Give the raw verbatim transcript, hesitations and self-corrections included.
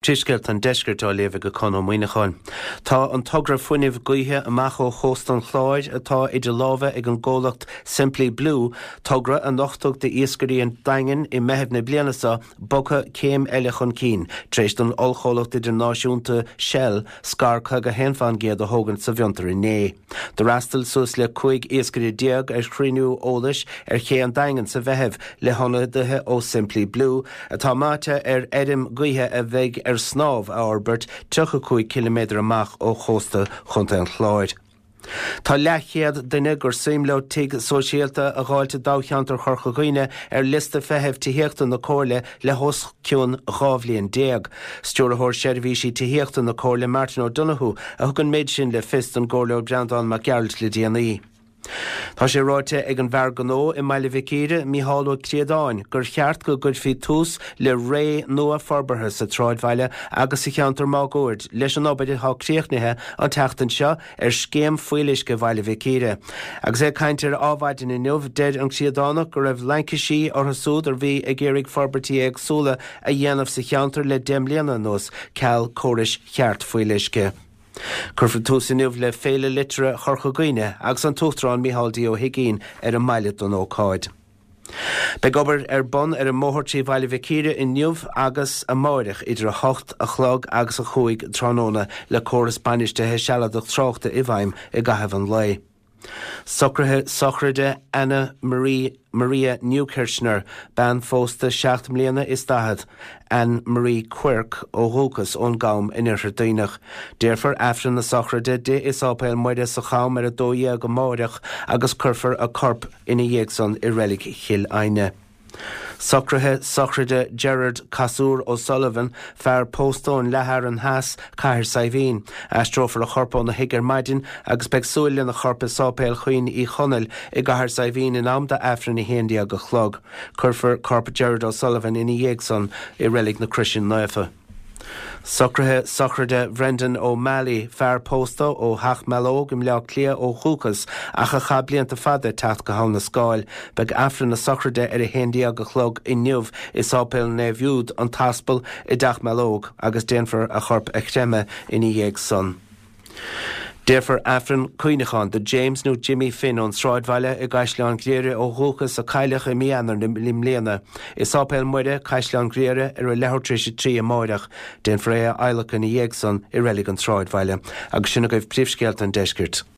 Príomhscéalta an Deiscirt á léamh ag Conn Ó Muíneacháin. Tá an togra fuinnimh gaoithe amach ó chósta an Chláir atá idir lámha ag an gcomhlacht Simply Blue, togra a nochtadh d'iascairí an Daingin i Meitheamh na bliana seo, bogtha céim eile chun cinn tar éis don ollchomhlacht idirnáisiúnta Shell scair caoga haon faoin gcéad a thógaint sa bhfiontar inné. D'fhreastail suas le cúig iascaire déag ar chruinniú eolais ar ché an Daingin sa Mheitheamh le hionadaithe ó Simply Blue, atá meáite ar fheirm gaoithe a bheidh ar snámh a fhorbairt tríocha cúig ciliméadar amach ó chósta Chontae an Chláir. Tá leathchéad duine gur suim leo tigh sóisialta a dh'fháilt i dtoghcheantar Chorca Dhuibhne ar liosta feithimh tithíochta na Comhairle le hos cionn dhá bhliain déag. Stiúrthóir Seirbhísí Tithíochta na Comhairle Martin O'Donoghue a thug an méid sin le fios don gComhairleoir Breandán Mac Gearailt le déanaí. Tá sé ráite ag an bhfear gnó i mBaile Mhic Íre, Mícheál Ó Críodáin, gur cheart go gcuirfí tús le ré nua forbartha sa tsráidbhaile agus sa cheantar máguaird leis an obair atá críochnaithe an tseachtain seo ar scéim fuíolluisce Bhaile Mhic Íre. Agus é ag caint ar Adhmhaidin inniu, deir an Críodánach go raibh laincisí orthu súd a bhí ag iarraidh forbairtí éagsúla a dhéanamh sa cheantar le deich mbliana anuas ceal córais cheart fuíolluisce. Cuirfear tús inniu le Féile Liteartha Chorca Dhuibhne agus an tUachtarán Micheál D. Ó hUigínn ar an mbaile don ócáid. Beidh obair ar bun ar an mbóthar trí Bhaile Mhic Íre inniu agus amáireach idir a hocht a chlog agus a cúig tráthnóna le córas bainistithe sealadach tráchta i bhfeidhm i gcaitheamh an lae. Socruithe sochraide Anna Marie Maria Newkirchner, bean phósta seacht mbliana is daichead, Anne Marie Quirk ó dhúchas ón gCam in Oirthear Duibhneach. Déarfar Aifreann na sochraide di i Sáipéal Muire sa Cham ar a dó dhéag amáireach agus cuirfear a corp ina dhiaidh san i Reilig Chill Aidhne. Socruithe sochraide Gerard Casúr O'Sullivan, fear pósta ón Leathfhearann Theas, Cathair Saidhbhín. Aistreofar a chorp óna thigh ar maidin agus beidh súil lena chorp i Sáipéal Chaoin Uí Chonaill i gCathair Saidhbhín in am d'Aifreann a haon déag a chlog. Cuirfear corp Gerard O'Sullivan ina dhiaidh san i Reilig na Croise Naofa. Socruithe sochraide Brendan O'Malley, fear pósta ó Theach Mealóg i mBleá Cliath ó dhúchas ach a chaith blianta fada ag teacht go hAbha na Scáil. Beidh Aifreann na sochraide ar a haon déag a chlog inniu i Sáipéal Naomh Iúd an tAspal i dTeach Mealóg agus déanfar a chorp a chreimeadh ina dhiaidh san. Déarfar Aifreann cuimhneacháin do James nó Jimmy Finn ón Sráidbhaile i gCaisleán Ghriaire ó dhúchas a cailleadh i mí Eanáir na mbliana i Sáipéal Muire, Caisleán Ghriaire ar a leathuair tar éis a trí amáireach. Déanfar é a adhlacadh ina dhiaidh san i Reilig an tSráidbhaile. Agus sin agaibh príomhscéalta an deiscirt.